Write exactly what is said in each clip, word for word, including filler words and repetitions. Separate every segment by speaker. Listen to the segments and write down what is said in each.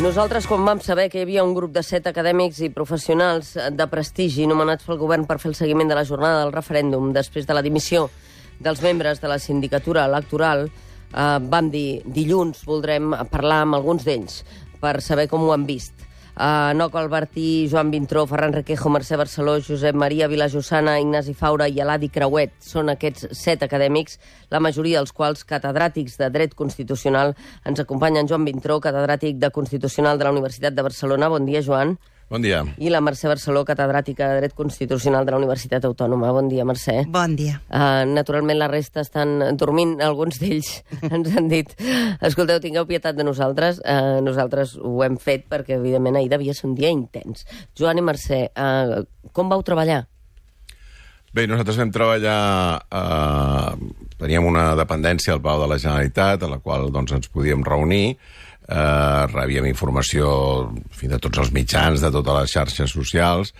Speaker 1: Nosaltres, quan vam saber que hi havia un grup de set acadèmics i professionals de prestigi nomenats pel govern per fer el seguiment de la jornada del referèndum després de la dimissió dels membres de la sindicatura electoral, eh, vam dir dilluns voldrem parlar amb alguns d'ells per saber com ho han vist. Uh, Noco Albertí, Joan Vintró, Ferran Requejo, Mercè Barceló, Josep Maria Vilajossana, Ignasi Faura i Eladi Creuet són aquests set acadèmics, la majoria dels quals catedràtics de dret constitucional. Ens acompanyen Joan Vintró, catedràtic de Constitucional de la Universitat de Barcelona. Bon dia, Joan.
Speaker 2: Bon dia.
Speaker 1: I la Mercè Barceló, catedràtica de Dret Constitucional de la Universitat Autònoma. Bon dia, Mercè.
Speaker 3: Bon dia.
Speaker 1: Uh, naturalment, la resta estan dormint. Alguns d'ells ens han dit escolteu, tingueu pietat de nosaltres. Uh, nosaltres ho hem fet perquè, evidentment, ahir devia ser un dia intens. Joan i Mercè, uh, com vau treballar?
Speaker 2: Bé, nosaltres vam treballar... Eh, teníem una dependència al Palau de la Generalitat, a la qual doncs, ens podíem reunir. Eh, rebíem informació fins a tots els mitjans, de totes les xarxes socials,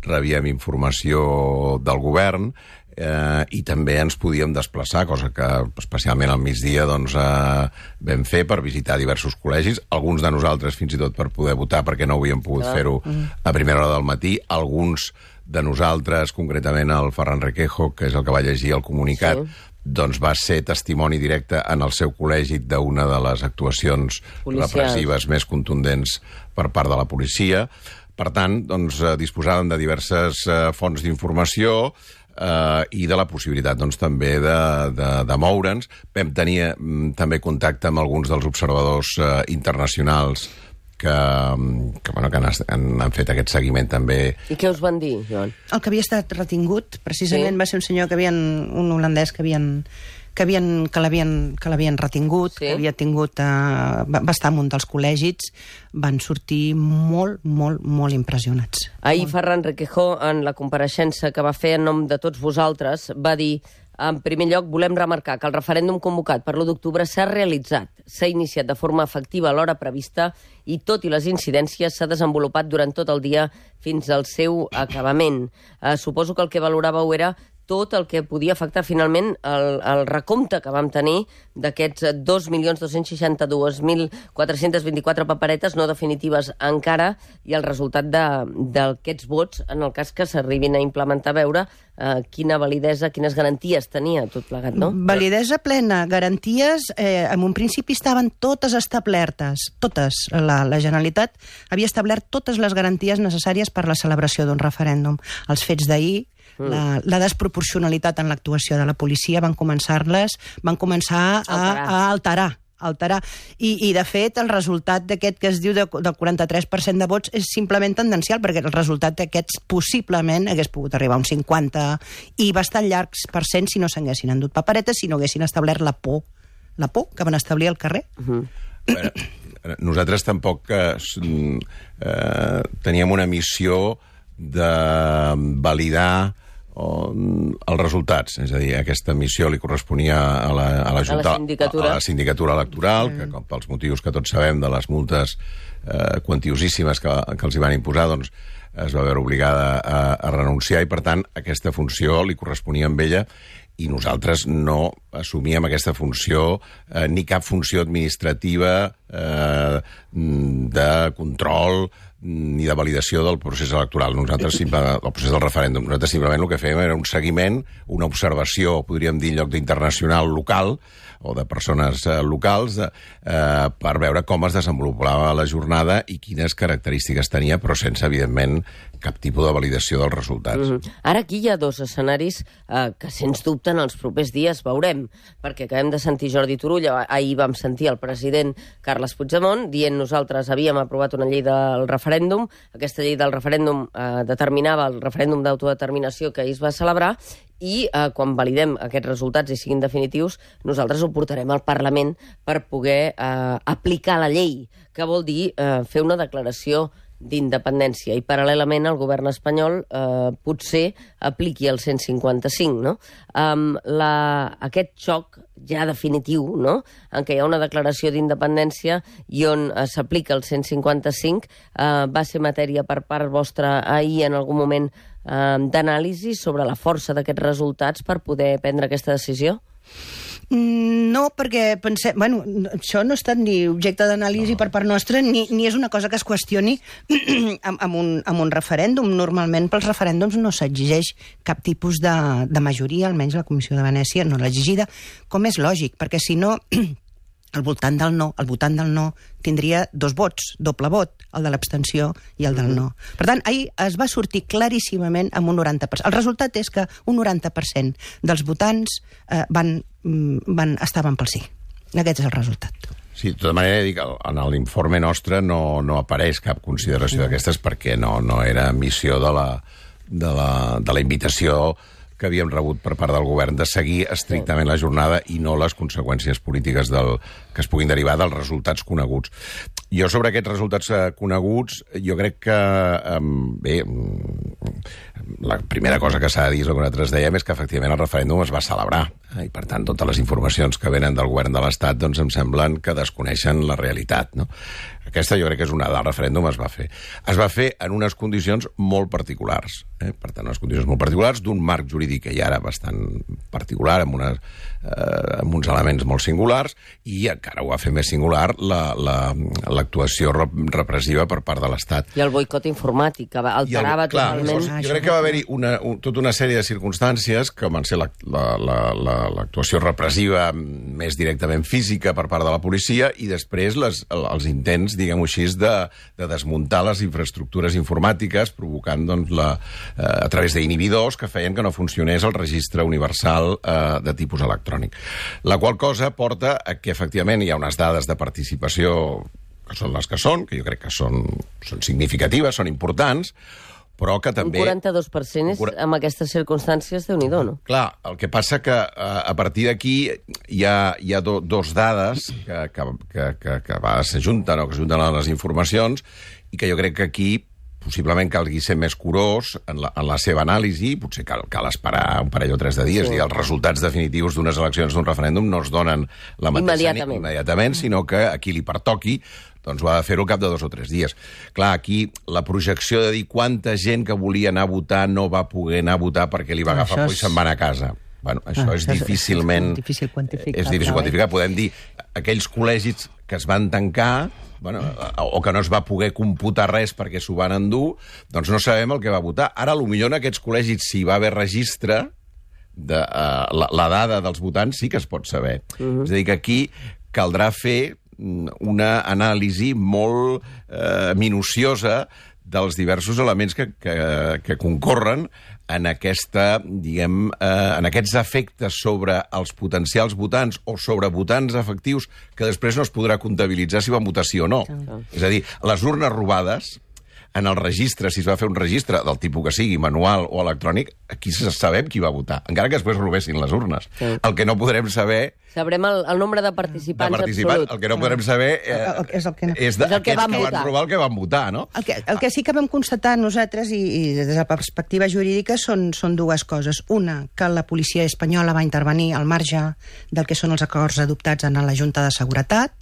Speaker 2: rebíem informació del govern eh, i també ens podíem desplaçar, cosa que especialment al migdia doncs, eh, vam fer per visitar diversos col·legis, alguns de nosaltres fins i tot per poder votar perquè no havíem pogut ah. fer-ho a primera hora del matí, alguns de nosaltres, concretament el Ferran Requejo, que és el que va llegir el comunicat, sí. doncs va ser testimoni directe en el seu col·legi d'una de les actuacions policials repressives més contundents per part de la policia. Per tant, doncs, disposàvem de diverses eh, fonts d'informació eh, i de la possibilitat doncs, també de, de, de moure'ns. Vam tenir mm, també contacte amb alguns dels observadors eh, internacionals que, que, bueno, que han, han, han fet aquest seguiment també.
Speaker 1: I què us van dir, Joan?
Speaker 3: El que havia estat retingut, precisament, sí. va ser un senyor que havien, un holandès que havien, que havien, que l'havien, que l'havien retingut, sí. que havia tingut, eh, va, va estar en un dels col·legis, van sortir molt, molt, molt impressionats.
Speaker 1: Ahir
Speaker 3: molt.
Speaker 1: Ferran Requejo, en la compareixença que va fer en nom de tots vosaltres, va dir: en primer lloc, volem remarcar que el referèndum convocat per l'u d'octubre s'ha realitzat, s'ha iniciat de forma efectiva a l'hora prevista i, tot i les incidències, s'ha desenvolupat durant tot el dia fins al seu acabament. Eh, suposo que el que valoràveu era tot el que podia afectar finalment el, el recompte que vam tenir d'aquests dos milions dos-cents seixanta-dos mil quatre-cents vint-i-quatre paperetes no definitives encara i el resultat d'aquests vots, en el cas que s'arribin a implementar, a veure eh, quina validesa, quines garanties tenia tot plegat, no?
Speaker 3: Validesa plena, garanties, eh, en un principi estaven totes establertes, totes. La, la Generalitat havia establert totes les garanties necessàries per la celebració d'un referèndum. Els fets d'ahir, La, la desproporcionalitat en l'actuació de la policia van començar-les, van començar a, a alterar. alterar. I, I, de fet, el resultat d'aquest que es diu de, del quaranta-tres per cent de vots és simplement tendencial, perquè el resultat d'aquests possiblement hagués pogut arribar a un cinquanta i bastant llargs per cent si no s'haguessin endut paperetes, si no haguessin establert la por, la por que van establir al carrer.
Speaker 1: Uh-huh.
Speaker 2: Bueno, nosaltres tampoc eh, eh, teníem una missió de validar o, els resultats, és a dir, aquesta missió li corresponia a la, a la, Junta,
Speaker 1: a la, sindicatura.
Speaker 2: a la sindicatura electoral, que com pels motius que tots sabem de les multes eh, quantiosíssimes que, que els hi van imposar, doncs es va veure obligada a, a renunciar i, per tant, aquesta funció li corresponia amb ella i nosaltres no assumíem aquesta funció eh, ni cap funció administrativa eh, de control ni de validació del procés electoral. Nosaltres, simple, el procés del referèndum, nosaltres simplement el que fèiem era un seguiment, una observació, podríem dir, en lloc d'internacional local, o de persones eh, locals, eh, per veure com es desenvolupava la jornada i quines característiques tenia, però sense, evidentment, cap tipus de validació dels resultats.
Speaker 1: Mm-hmm. Ara aquí hi ha dos escenaris eh, que, sens dubte, en els propers dies veurem, perquè acabem de sentir Jordi Turull, ahir vam sentir el president Carles Puigdemont dient nosaltres havíem aprovat una llei del referèndum, aquesta llei del referèndum eh, determinava el referèndum d'autodeterminació que ahir es va celebrar, i eh, quan validem aquests resultats i siguin definitius, nosaltres ho portarem al Parlament per poder eh, aplicar la llei, que vol dir eh, fer una declaració d'independència, i paral·lelament el govern espanyol eh, potser apliqui el cent cinquanta-cinc, no? Um, la, aquest xoc ja definitiu, no?, en què hi ha una declaració d'independència i on eh, s'aplica el cent cinquanta-cinc, eh, va ser matèria per part vostra ahir en algun moment eh, d'anàlisi sobre la força d'aquests resultats per poder prendre aquesta decisió?
Speaker 3: No, perquè pensem... Bueno, això no ha estat ni objecte d'anàlisi no. per part nostra, ni, ni és una cosa que es qüestioni amb, amb, un, amb un referèndum. Normalment, pels referèndums no s'exigeix cap tipus de, de majoria, almenys la Comissió de Venècia no l'ha exigida, com és lògic, perquè si no... Al voltant del no, al votant del no tindria dos vots, doble vot, el de l'abstenció i el del no. Per tant, ahir es va sortir claríssimament amb un noranta per cent. El resultat és que un noranta per cent dels votants eh, van, van, estaven pel sí. Aquest és el resultat.
Speaker 2: Sí, de tota manera, dic, en l'informe nostre no, no apareix cap consideració no. d'aquestes perquè no, no era missió de la, de la, de la invitació que havíem rebut per part del govern de seguir estrictament la jornada i no les conseqüències polítiques del, que es puguin derivar dels resultats coneguts. Jo sobre aquests resultats eh, coneguts, jo crec que, eh, bé, la primera cosa que s'ha de dir, és el que nosaltres dèiem, és que efectivament el referèndum es va celebrar. Eh, I per tant, totes les informacions que venen del govern de l'Estat doncs em semblen que desconeixen la realitat, no? Aquesta jo crec que és una... El referèndum es va fer. Es va fer en unes condicions molt particulars. Eh? Per tant, unes condicions molt particulars d'un marc jurídic que ja era bastant particular, amb, unes, eh, amb uns elements molt singulars, i encara ho va fer més singular l'actuació la, la, repressiva per part de l'Estat.
Speaker 1: I el boicot informàtic, que alterava el, clar, totalment...
Speaker 2: Jo, jo crec que va haver-hi una, un, tota una sèrie de circumstàncies que van ser l'actuació la, la, la, repressiva més directament física per part de la policia i després les, els intents, diguem-ho així, de, de desmuntar les infraestructures informàtiques, provocant doncs, la, eh, a través d'inhibidors que feien que no funcionés el registre universal eh, de tipus electrònic. La qual cosa porta a que, efectivament, hi ha unes dades de participació que són les que són, que jo crec que són, són significatives, són importants, però que també...
Speaker 1: Un quaranta-dos per cent és, amb aquestes circumstàncies, Déu-n'hi-do, no?
Speaker 2: Clar, el que passa que a partir d'aquí hi ha, hi ha do, dos dades que, que, que, que, que a vegades s'ajunten o que s'ajunten a les informacions i que jo crec que aquí possiblement calgui ser més curós en la, en la seva anàlisi, potser cal, cal esperar un parell o tres de dies, sí. I els resultats definitius d'unes eleccions d'un referèndum no es donen la mateixa
Speaker 1: immediatament,
Speaker 2: immediatament sinó que a qui li pertoqui doncs ho ha de fer-ho al cap de dos o tres dies. Clar, aquí la projecció de dir quanta gent que volia anar a votar no va poder anar a votar perquè li va agafar por i se'n va anar a casa. Bueno, això ah, és això difícilment...
Speaker 3: És difícil quantificar.
Speaker 2: És difícil quantificar. Podem dir, aquells col·legis que es van tancar, bueno, o que no es va poder computar res perquè s'ho van endur, doncs no sabem el que va votar. Ara, potser en aquests col·legis, si hi va haver registre, de, uh, la, la dada dels votants sí que es pot saber. Uh-huh. És a dir, que aquí caldrà fer una anàlisi molt eh, minuciosa dels diversos elements que, que, que concorren en, aquesta, diguem, eh, en aquests efectes sobre els potencials votants o sobre votants efectius que després no es podrà comptabilitzar si van votar sí o no. Sí. És a dir, les urnes robades, en el registre, si es va fer un registre del tipus que sigui, manual o electrònic, aquí sabem qui va votar, encara que després robessin les urnes. Sí. El que no podrem saber...
Speaker 1: Sabrem el, el nombre de participants, de participants absolut.
Speaker 2: El que no podrem saber eh,
Speaker 3: el, el, és, el que no.
Speaker 2: és, de, és el que van, que van robar el que van votar, no?
Speaker 3: El que, el que sí que vam constatar nosaltres, i, i des de la perspectiva jurídica, són, són dues coses. Una, que la policia espanyola va intervenir al marge del que són els acords adoptats en la Junta de Seguretat.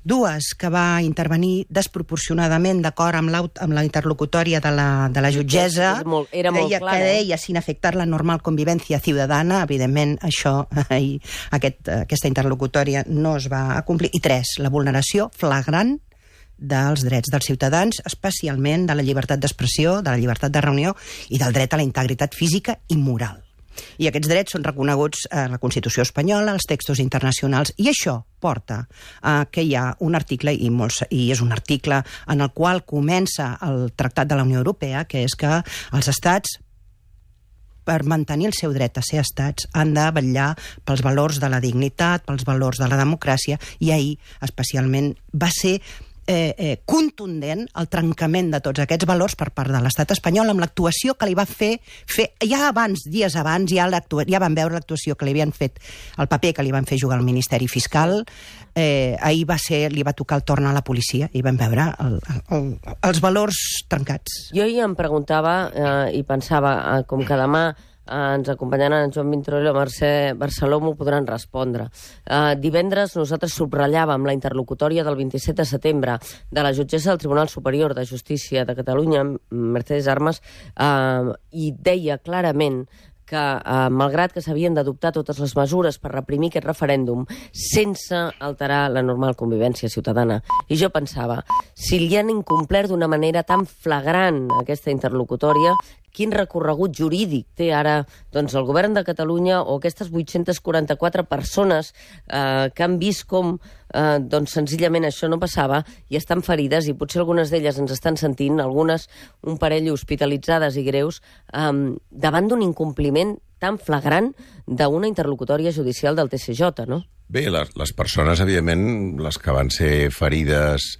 Speaker 3: Dues, que va intervenir desproporcionadament d'acord amb, amb la interlocutòria de la, de la jutgessa,
Speaker 1: era molt, era molt
Speaker 3: deia,
Speaker 1: clara,
Speaker 3: que deia sin afectar la normal convivència ciutadana. Evidentment, això, aquest, aquesta interlocutòria no es va complir. I tres, la vulneració flagrant dels drets dels ciutadans, especialment de la llibertat d'expressió, de la llibertat de reunió i del dret a la integritat física i moral. I aquests drets són reconeguts a la Constitució espanyola, als textos internacionals, i això porta a que hi ha un article, i, molts, i és un article en el qual comença el Tractat de la Unió Europea, que és que els estats, per mantenir el seu dret a ser estats, han de vetllar pels valors de la dignitat, pels valors de la democràcia, i ahir especialment va ser Eh, eh, contundent el trencament de tots aquests valors per part de l'estat espanyol amb l'actuació que li va fer, fer ja abans, dies abans, ja, ja van veure l'actuació que li havien fet, el paper que li van fer jugar al Ministeri Fiscal. Eh, ahir va ser, li va tocar el torn a la policia i vam veure el, el, els valors trencats.
Speaker 1: Jo ahir em preguntava eh, i pensava, eh, com que demà Uh, ens acompanyaran en Joan Vintró i la Mercè Barceló, m'ho podran respondre. Uh, divendres nosaltres subratllàvem la interlocutòria del vint-i-set de setembre de la jutgessa del Tribunal Superior de Justícia de Catalunya, Mercedes Armas, uh, i deia clarament que, eh, malgrat que s'havien d'adoptar totes les mesures per reprimir aquest referèndum sense alterar la normal convivència ciutadana. I jo pensava, si li han incomplert d'una manera tan flagrant aquesta interlocutòria, quin recorregut jurídic té ara doncs, el govern de Catalunya o aquestes vuit-centes quaranta-quatre persones eh, que han vist com eh, doncs, senzillament això no passava i estan ferides, i potser algunes d'elles ens estan sentint, algunes un parell hospitalitzades i greus, eh, davant d'un incompliment tan flagrant d'una interlocutòria judicial del T C J, no?
Speaker 2: Bé, les, les persones, evidentment, les que van ser ferides,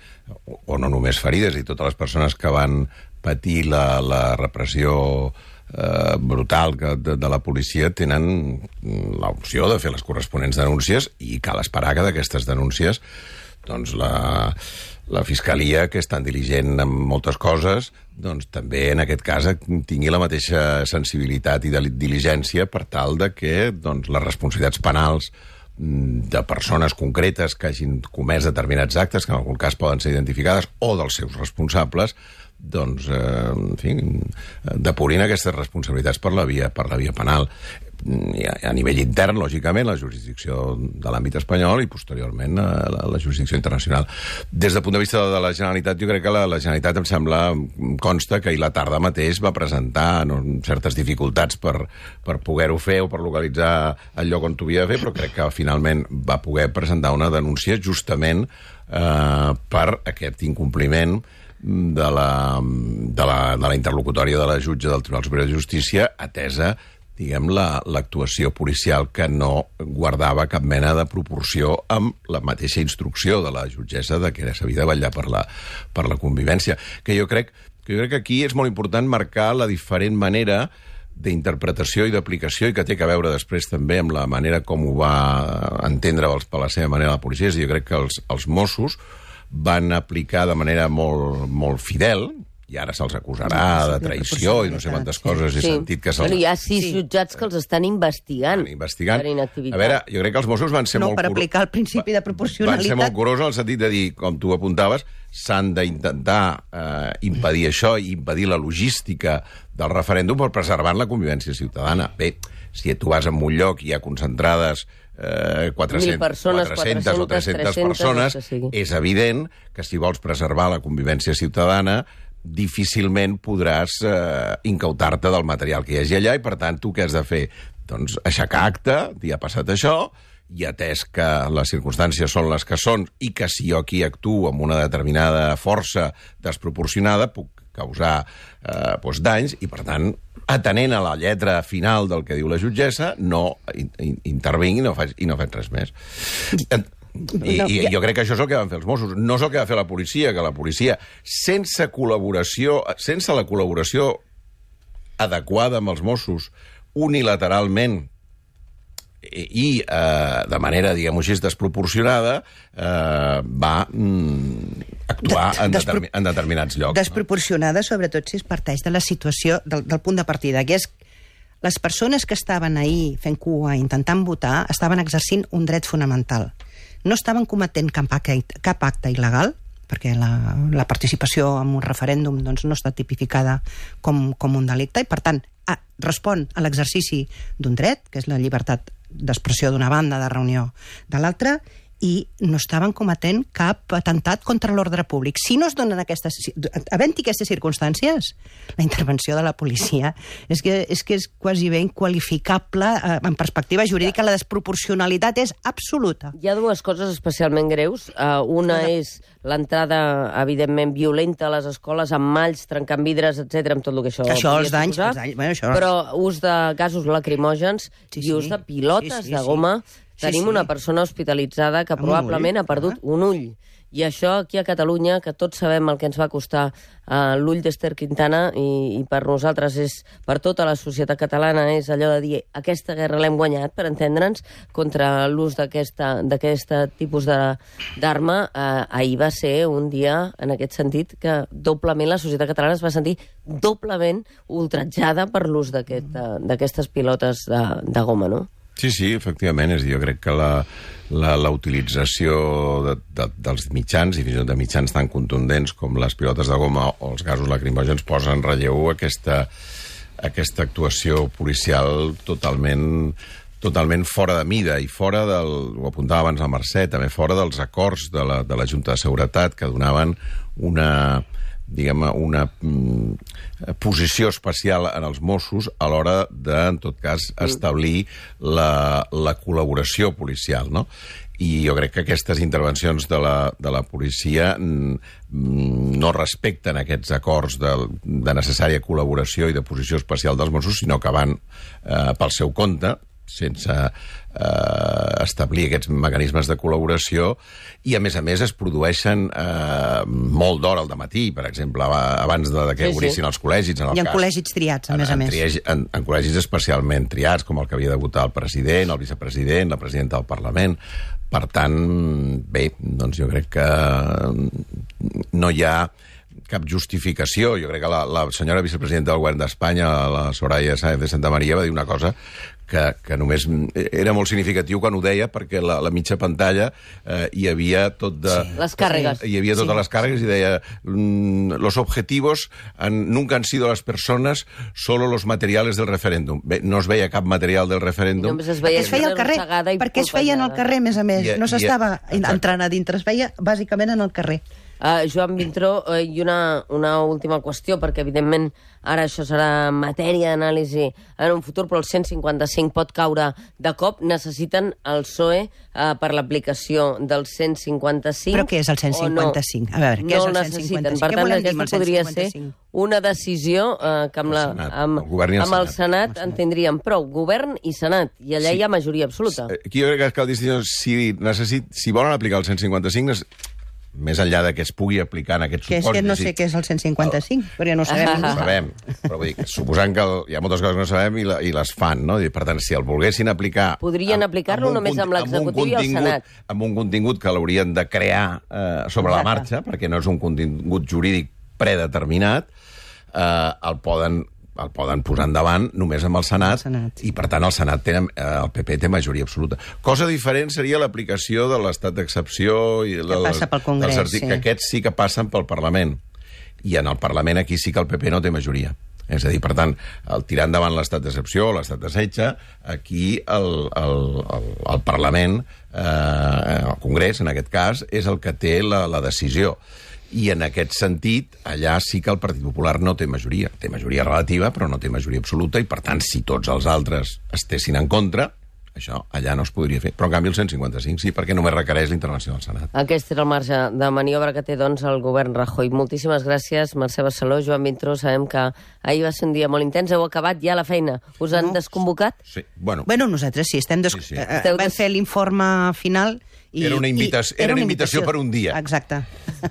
Speaker 2: o, o no només ferides, i totes les persones que van patir la, la repressió eh, brutal que, de, de la policia, tenen l'opció de fer les corresponents denúncies, i cal esperar que d'aquestes denúncies doncs la, la Fiscalia, que és tan diligent en moltes coses, doncs també en aquest cas tingui la mateixa sensibilitat i de diligència per tal de que doncs, les responsabilitats penals de persones concretes que hagin comès determinats actes, que en algun cas poden ser identificades, o dels seus responsables, doncs, eh, en fi, depurin aquestes responsabilitats per la via, per la via penal. I a, a nivell intern, lògicament, la jurisdicció de l'àmbit espanyol i, posteriorment, la, la jurisdicció internacional. Des del punt de vista de la Generalitat, jo crec que la, la Generalitat, em sembla, consta que ahir la tarda mateix va presentar no, certes dificultats per, per poder-ho fer o per localitzar el lloc on t'ho havia de fer, però crec que finalment va poder presentar una denúncia justament eh, per aquest incompliment de la, de la, de la interlocutòria de la jutge del Tribunal Superior de Justícia, atesa, diguem, l'actuació la, policial que no guardava cap mena de proporció amb la mateixa instrucció de la jutgessa de que s'havia de vetllar per la, per la convivència. Que jo crec, que jo crec que aquí és molt important marcar la diferent manera d'interpretació i d'aplicació, i que té a veure després també amb la manera com ho va entendre per la seva manera la policia. Jo crec que els, els Mossos van aplicar de manera molt, molt fidel, i ara se'ls acusarà de traïció i no sé quantes coses, he
Speaker 1: sí.
Speaker 2: sentit que se'ls...
Speaker 1: Bueno, hi ha sis sí. jutjats que els estan investigant,
Speaker 2: investigant
Speaker 1: per inactivitat.
Speaker 2: A veure, jo crec que els Mossos van ser
Speaker 3: no,
Speaker 2: molt...
Speaker 3: No, per aplicar el principi de proporcionalitat.
Speaker 2: Van ser molt curosos en el sentit de dir, com tu apuntaves, s'han d'intentar eh, impedir això i impedir la logística del referèndum per preservar la convivència ciutadana. Bé, si tu vas en un lloc i hi ha concentrades eh, quatre-centes,
Speaker 1: persones,
Speaker 2: quatre-centes o tres-centes persones, és evident que si vols preservar la convivència ciutadana difícilment podràs eh, incautar-te del material que hi hagi allà, i per tant tu què has de fer? Doncs aixecar acte, dir ha passat això, i atès que les circumstàncies són les que són i que si jo aquí actuo amb una determinada força desproporcionada puc causar eh, doncs danys, i per tant, atenent a la lletra final del que diu la jutgessa, no in, in, intervinc i no faig, i no faig res més. I, I jo crec que això és el que van fer els Mossos, no és el que va fer la policia, que la policia, sense col·laboració, sense la col·laboració adequada amb els Mossos, unilateralment i eh, de manera, diguem-ho així, desproporcionada, eh, va mm, actuar de, en, determi en determinats llocs.
Speaker 3: Desproporcionada, no? Sobretot si es parteix de la situació, del, del punt de partida, que és les persones que estaven ahir fent cua, intentant votar, estaven exercint un dret fonamental. No estaven cometent cap acte, cap acte il·legal, perquè la, la participació en un referèndum doncs, no està tipificada com, com un delicte, i per tant a, respon a l'exercici d'un dret, que és la llibertat d'expressió d'una banda, de reunió de l'altra, i no estaven cometent cap atemptat contra l'ordre públic. Si no es donen aquestes... Havent-hi aquestes circumstàncies, la intervenció de la policia és que és, que és quasi ben qualificable eh, en perspectiva jurídica. La desproporcionalitat és absoluta.
Speaker 1: Hi ha dues coses especialment greus. Uh, una no. és l'entrada, evidentment, violenta a les escoles, amb malls, trencant vidres, etcètera, amb tot el que això...
Speaker 3: Això, els danys, els danys bueno, això...
Speaker 1: Però ús de gasos lacrimògens sí, sí. i ús de pilotes sí, sí, de goma... Sí. Tenim sí, sí. una persona hospitalitzada que amb probablement ull, ha perdut ah. un ull. I això aquí a Catalunya, que tots sabem el que ens va costar uh, l'ull d'Ester Quintana, i, i per nosaltres, és per tota la societat catalana, és allò de dir aquesta guerra l'hem guanyat, per entendre'ns, contra l'ús d'aquest tipus d'arma. Uh, ahir va ser un dia, en aquest sentit, que doblement la societat catalana es va sentir doblement ultratjada per l'ús d'aquestes pilotes de, de goma, no?
Speaker 2: Sí, sí, efectivament. És a dir, jo crec que la, la, la utilització de, de, dels mitjans, i fins i tot de mitjans tan contundents com les pilotes de goma o els gasos lacrimògens, posa en relleu aquesta, aquesta actuació policial totalment totalment fora de mida i fora del, ho apuntava abans la Mercè, també fora dels acords de la, de la Junta de Seguretat que donaven una, diguem, una mm, posició especial en els Mossos a l'hora de, en tot cas, establir la, la col·laboració policial, no? I jo crec que aquestes intervencions de la, de la policia mm, no respecten aquests acords de, de necessària col·laboració i de posició especial dels Mossos, sinó que van eh, pel seu compte, sense eh, establir aquests mecanismes de col·laboració, i a més a més es produeixen eh, molt d'hora al dematí, per exemple, abans de, de que
Speaker 1: sí,
Speaker 2: obrissin
Speaker 1: sí.
Speaker 2: els col·legis. En el
Speaker 3: I en
Speaker 2: cas,
Speaker 3: col·legis triats, a
Speaker 2: en,
Speaker 3: més a
Speaker 2: en,
Speaker 3: més.
Speaker 2: triagi, en, en col·legis especialment triats, com el que havia de votar el president, el vicepresident, la presidenta del Parlament. Per tant, bé, doncs jo crec que no hi ha cap justificació. Jo crec que la, la senyora vicepresidenta del govern d'Espanya, la Soraya Sáenz de Santa María, va dir una cosa que, que només era molt significatiu quan ho deia, perquè la, la mitja pantalla eh, hi havia tot de...
Speaker 1: Sí. Les càrregues.
Speaker 2: Hi havia totes sí. les càrregues i deia mm, los objetivos han, nunca han sido las personas, solo los materiales del referéndum. Bé, no es veia cap material del referèndum.
Speaker 1: Es veia
Speaker 3: es feia al carrer, perquè es feia en el carrer, a més a més.
Speaker 2: I,
Speaker 3: no s'estava
Speaker 2: i,
Speaker 3: entrant a dintre, es feia bàsicament en el carrer.
Speaker 1: Uh, Joan Vintró, uh, i una, una última qüestió, perquè evidentment ara això serà matèria d'anàlisi en un futur, però el cent cinquanta-cinc pot caure de cop. Necessiten el P S O E uh, per l'aplicació del cent cinquanta-cinc?
Speaker 3: Però què és el cent cinquanta-cinc?
Speaker 1: No?
Speaker 3: A veure, què
Speaker 1: no
Speaker 3: és el
Speaker 1: el
Speaker 3: cent cinquanta-cinc?
Speaker 1: Per
Speaker 3: què
Speaker 1: tant,
Speaker 3: volem dir amb el
Speaker 1: aquesta podria
Speaker 3: cent cinquanta-cinc?
Speaker 1: ser una decisió uh, que amb, la,
Speaker 2: Senat,
Speaker 1: amb,
Speaker 2: el govern i el
Speaker 1: amb el
Speaker 2: Senat.
Speaker 1: Senat en tindríem prou. Govern i Senat, i allà
Speaker 2: Sí.
Speaker 1: hi ha majoria absoluta.
Speaker 2: Aquí jo crec que cal distingir si, necessit, si volen aplicar el cent cinquanta-cinc, més enllà de que es pugui aplicar en aquests
Speaker 3: Que és
Speaker 2: supòsits...
Speaker 3: que no sé què és el cent cinquanta-cinc, però ja no ho sabem.
Speaker 1: Ah,
Speaker 2: No ho sabem, però vull dir, suposant que el, hi ha moltes coses que no sabem i, la, i les fan, no? I, per tant, si el volguessin aplicar...
Speaker 1: Podrien aplicar-lo
Speaker 2: un
Speaker 1: només
Speaker 2: conti-
Speaker 1: amb l'executiu i el
Speaker 2: contingut-
Speaker 1: Senat.
Speaker 2: Amb un contingut que l'haurien de crear eh, sobre la marxa, perquè no és un contingut jurídic predeterminat, eh, el poden el poden posar endavant només amb el Senat,
Speaker 3: El Senat.
Speaker 2: i per tant el Senat té, eh, el P P té majoria absoluta. Cosa diferent seria l'aplicació de l'estat d'excepció i
Speaker 3: Que passa pel Congrés,
Speaker 2: dels artic-
Speaker 3: sí.
Speaker 2: que aquests sí que passen pel Parlament, i en el Parlament aquí sí que el P P no té majoria. És a dir, per tant, el tirar endavant l'estat d'excepció o l'estat de setge, aquí el, el, el, el Parlament, eh, el Congrés, en aquest cas, és el que té la, la decisió. I en aquest sentit, allà sí que el Partit Popular no té majoria. Té majoria relativa, però no té majoria absoluta, i per tant, si tots els altres estessin en contra, això allà no es podria fer. Però en canvi el cent cinquanta-cinc sí, perquè només requereix la intervenció del Senat.
Speaker 1: Aquest era el marge de maniobra que té, doncs, el govern Rajoy. Moltíssimes gràcies, Mercè Barceló, Joan Vintró. Sabem que ahir va ser un dia molt intens. Heu acabat ja la feina. Us han
Speaker 3: No.
Speaker 1: desconvocat?
Speaker 2: Sí, bueno...
Speaker 3: Bueno, nosaltres sí, estem des...
Speaker 2: Sí, sí.
Speaker 3: eh, eh,
Speaker 1: Esteu
Speaker 3: vam
Speaker 1: des-
Speaker 3: fer l'informe final i...
Speaker 2: Era una invitació-
Speaker 3: i-
Speaker 2: era una invitació per un dia.
Speaker 3: Exacte.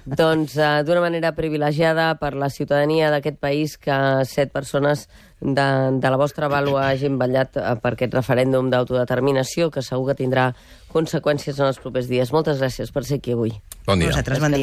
Speaker 1: Doncs uh, d'una manera privilegiada per la ciutadania d'aquest país que set persones de, de la vostra vàlua hagin vetllat uh, per aquest referèndum d'autodeterminació que segur que tindrà conseqüències en els propers dies. Moltes gràcies per ser aquí avui.
Speaker 2: Bon dia.
Speaker 3: Nosaltres, bon dia.